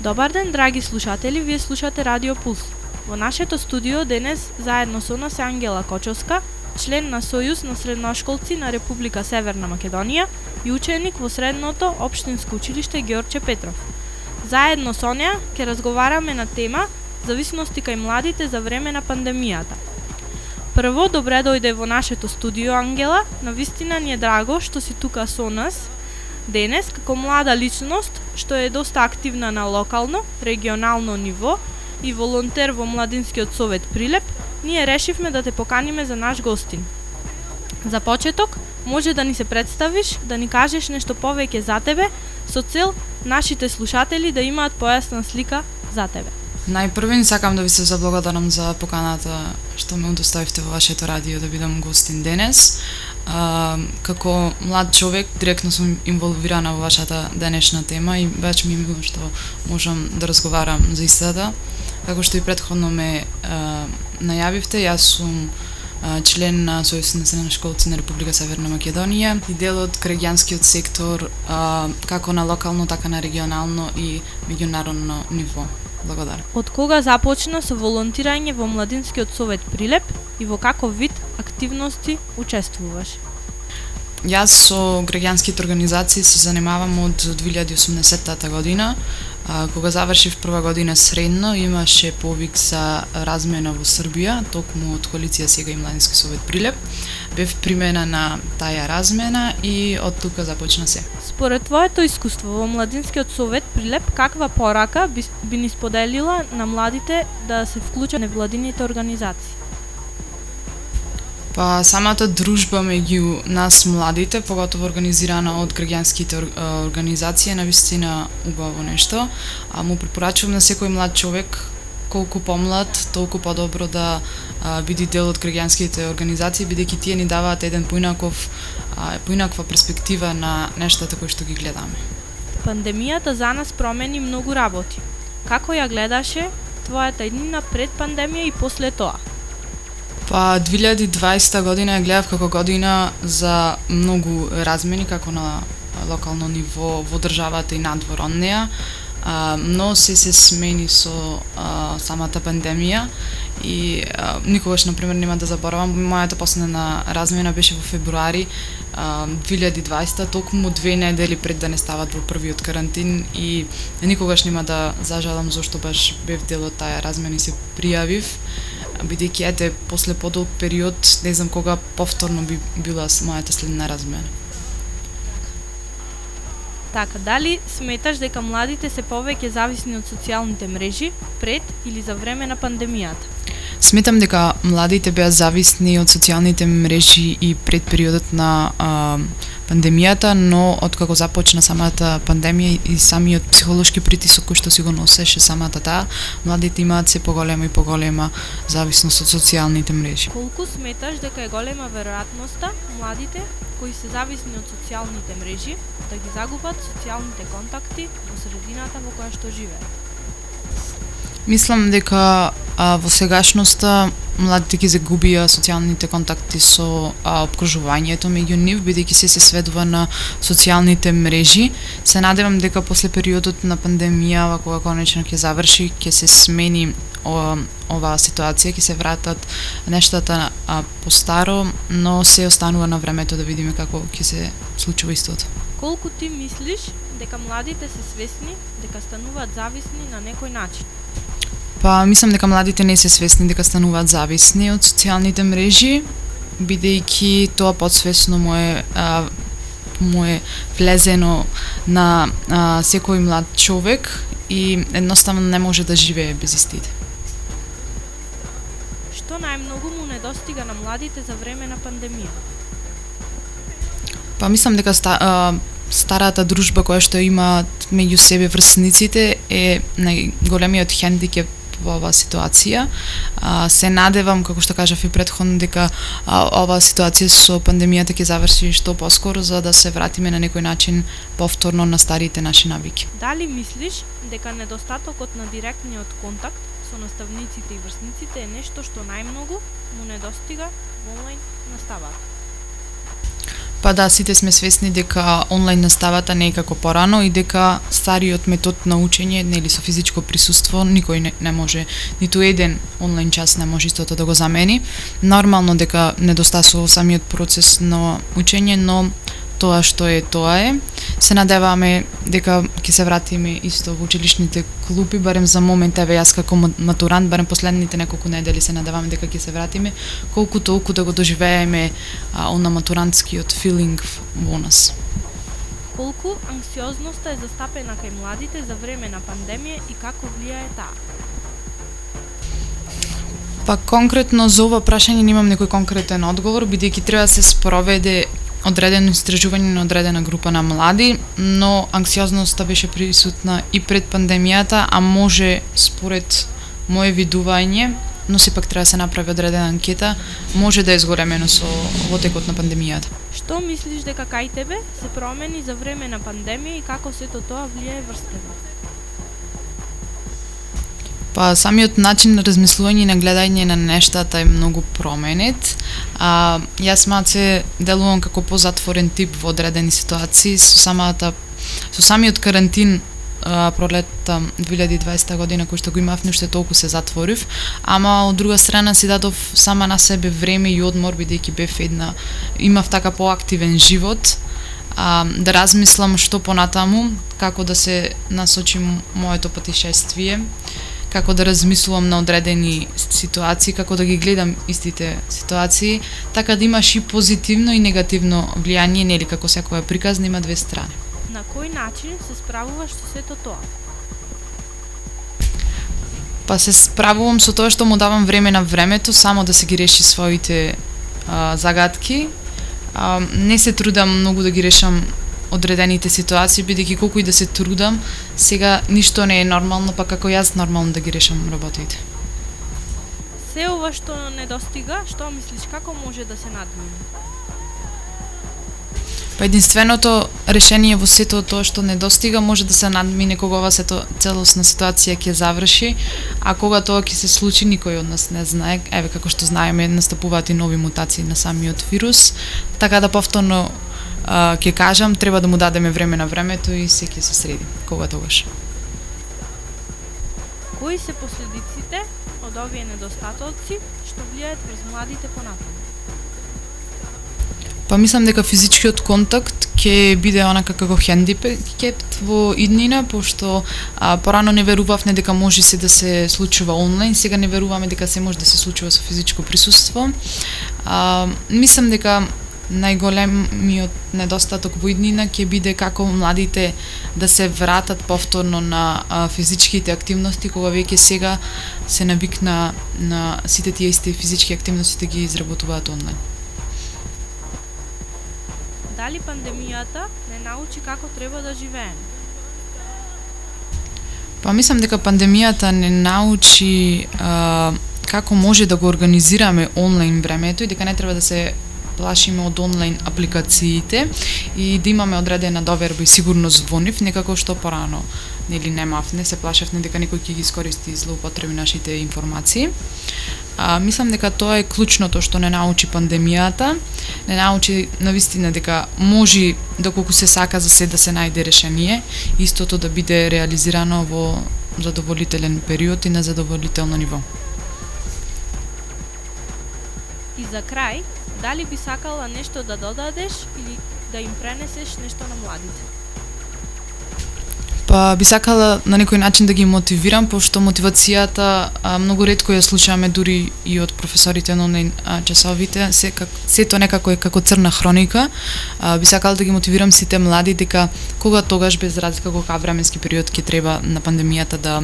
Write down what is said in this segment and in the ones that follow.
Добар ден, драги слушатели, вие слушате Радио Пулс. Во нашето студио денес заедно со нас е Ангела Кочовска, член на Сојуз на средношколци на Република Северна Македонија и ученик во средното општинско училиште Ѓорче Петров. Заедно со неа ќе разговараме на тема зависности кај младите за време на пандемијата. Прво, добре дојде во нашето студио, Ангела. Навистина ни е драго што си тука со нас денес како млада личност што е доста активна на локално, регионално ниво и волонтер во Младинскиот совет Прилеп. Ние решивме да те поканиме за наш гостин. За почеток, може да ни се представиш, да ни кажеш нешто повеќе за тебе, со цел нашите слушатели да имаат појасна слика за тебе. Најпрвен сакам да ви се заблагодарам за поканата што ме удостоивте во вашето радио да бидам гостин денес. Како млад човек, директно сум инволвирана во вашата денешна тема и баш ми е мило што можам да разговарам за истата. Како што и претходно ме најавивте, јас сум член на Сојуз на средношколци на Република Северна Македонија и дел од граѓанскиот сектор како на локално, така на регионално и меѓународно ниво. Благодарам. Од кога започна со волонтирање во Младинскиот совет Прилеп и во каков вид активности учествуваш? Јас со граѓанските организации се занимавам од 2018 година. Кога завршив прва година средно, имаше повик за размена во Србија, токму од коалиција Сега и Младински совет Прилеп. Бев примена на таа размена и од тука започна се. Според твоето искуство во Младинскиот совет Прилеп, каква порака би ни споделила на младите да се вклучат во невладините организации? Па самата дружба меѓу нас младите, поготово организирана од граѓанските организации, е навистина убаво нешто. Му препорачувам на секој млад човек, колку помлад, толку подобро да биде дел од граѓанските организации, бидејќи тие ни даваат еден поинаква перспектива на нештата кои што ги гледаме. Пандемијата за нас промени многу работи. Како ја гледаше твојата иднина пред пандемија и после тоа? Па 2020 година ја гледав како година за многу размени, како на локално ниво во државата и надвор од неа, но се смени со самата пандемија и никогаш, например, нема да заборавам, мојата последна размена беше во февруари 2020, токму 2 недели пред да не стават во првиот карантин и никогаш нема да зажалам зашто баш бев дел од таа размена и се пријавив, бидејќи ете после подолг период не знам кога повторно би била мојата следна размена. Така, дали сметаш дека младите се повеќе зависни од социјалните мрежи пред или за време на пандемијата? Сметам дека младите беа зависни од социјалните мрежи и пред периодот на пандемијата, но откако започна самата пандемија и самиот психолошки притисок кој што си го носеше самата таа, младите имаат се поголема и поголема зависност од социјалните мрежи. Колку сметаш дека е голема веројатноста младите кои се зависни од социјалните мрежи да ги загубат социјалните контакти во средината во која што живеат? Мислам дека во сегашноста младите ги загубија социјалните контакти со опкружувањето меѓу нив, бидејќи се сведува на социјалните мрежи. Се надевам дека после периодот на пандемија, кога конечно ќе заврши, ќе се смени оваа ситуација, ќе се вратат нештата постаро, но се останува на времето да видиме како ќе се случува истото. Колку ти мислиш дека младите се свесни дека стануваат зависни на некој начин? Па, мислам дека младите не се свесни дека стануваат зависни од социјалните мрежи, бидејќи тоа подсвесно му е влезено на секој млад човек и едноставно не може да живее без истите. Што најмногу му недостига на младите за време на пандемија? Па, мислам дека старата дружба која што имаат меѓу себе врсниците е најголемиот хендикеп во оваа ситуација. Се надевам, како што кажав и претходно, дека оваа ситуација со пандемијата ќе заврши што поскоро за да се вратиме на некој начин повторно на старите наши навики. Дали мислиш дека недостатокот на директниот контакт со наставниците и врсниците е нешто што најмногу му недостига во онлайн наставата? Па да, сите сме свесни дека онлайн наставата не е како порано и дека стариот метод на учење, нели со физичко присуство, никој не може, ниту еден онлайн час не може истото да го замени. Нормално дека недостасува самиот процес на учење, но тоа што е, тоа е. Се надеваме дека ќе се вратиме исто во училишните клупи, барем за момент, еве јас како матурант, барем последните неколку недели се надеваме дека ќе се вратиме, колку толку да го доживееме на матурантскиот филинг во нас. Колку анксиозноста е застапена кај младите за време на пандемија и како влијае таа? Па конкретно за ова прашање немам некој конкретен одговор, бидејќи треба да се спроведе одредено истражување на одредена група на млади, но анксиозноста беше присутна и пред пандемијата, а може според мое видување, но сепак треба да се направи одредена анкета, може да е изгоремено во текот на пандемијата. Што мислиш дека кај тебе се промени за време на пандемија и како сето тоа влијае врз тебе? Па самиот начин на размислување и на гледање на нештата е многу променет. Јас малце делувам како позатворен тип во одредени ситуации со самиот карантин пролетта 2020 година кој што го имав, уште толку се затворив, ама од друга страна си дадов сама на себе време и одмор бидејќи имав така поактивен живот, да размислам што понатаму, како да се насочим моето патишествие, како да размислувам на одредени ситуации, како да ги гледам истите ситуации, така да имаш и позитивно и негативно влијание, нели како секоја приказна има две страни. На кој начин се справуваш со сето тоа? Па се справувам со тоа што му давам време на времето само да се ги реши своите загадки. Не се трудам многу да ги решам одредените ситуации, бидејќи колку и да се трудам, сега ништо не е нормално, па како јас нормално да ги решам работите. Се ова што недостига, што мислиш како може да се надмине? Па единственото решение во сето тоа што недостига може да се надмине кога ова целосна ситуација ќе заврши, а кога тоа ќе се случи никој од нас не знае. Еве како што знаеме, настапуваат и нови мутации на самиот вирус, така да повторно ќе кажам, треба да му дадеме време на времето и се ќе се среди, кога тогаш. Кои се последиците од овие недостатоци што влијаат врз младите понатаму? Па мислам дека физичкиот контакт ќе биде онака како хендикеп во иднина, пошто порано не верувавме дека може се да се случува онлайн, сега не веруваме дека се може да се случува со физичко присуство. Мислам дека најголемиот недостаток во иднина ќе биде како младите да се вратат повторно на физичките активности, кога веќе сега се навикна на сите тие исти физички активности да ги изработуваат онлайн. Дали пандемијата не научи како треба да живееме? Па мислам дека пандемијата не научи како може да го организираме онлайн времето и дека не треба да се плашиме од онлайн апликациите и да имаме одредена доверба и сигурност во нив, некако што порано не се плашевме дека некој ќе ги искористи и злоупотреби нашите информации. Мислам дека тоа е клучното што не научи пандемијата, не научи навистина дека може доколку се сака за се да се најде решение, истото да биде реализирано во задоволителен период и на задоволително ниво. И за крај, дали би сакала нешто да додадеш или да им пренесеш нешто на младите? Па би сакала на некој начин да ги мотивирам, пошто мотивацијата многу ретко ја слушаме дури и од професорите на онлайн часовите, сето некако е како црна хроника. Би сакала да ги мотивирам сите млади дека кога тогаш без разлика кога временски период ќе треба на пандемијата да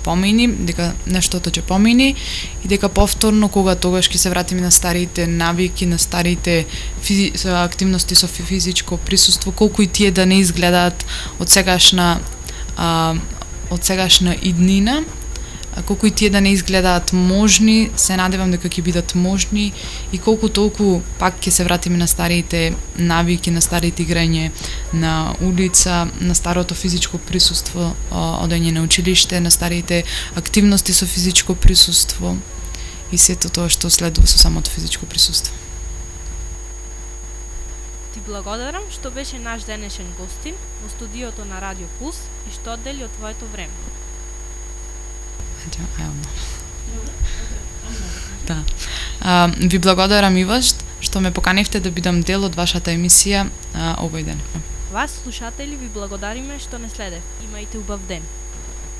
помини, дека нештото ќе помини и дека повторно кога тогаш ќе се вратиме на старите навики, на старите активности со физичко присуство, колку и тие да не изгледаат од сегашна иднина, колку и тие да не изгледаат можни, се надевам дека ќе бидат можни и колку толку пак ќе се вратиме на старите навики, на старите играње на улица, на старото физичко присуство, одење на училиште, на старите активности со физичко присуство и сето тоа што следува со самото физичко присуство. Ти благодарам што беше наш денешен гостин во студиото на Радио Пулс и што оддели од твоето време. Да. Ви благодарам и вас што ме поканивте да бидам дел од вашата емисија овој ден. Вас, слушатели, ви благодариме што не следев. Имајте убав ден.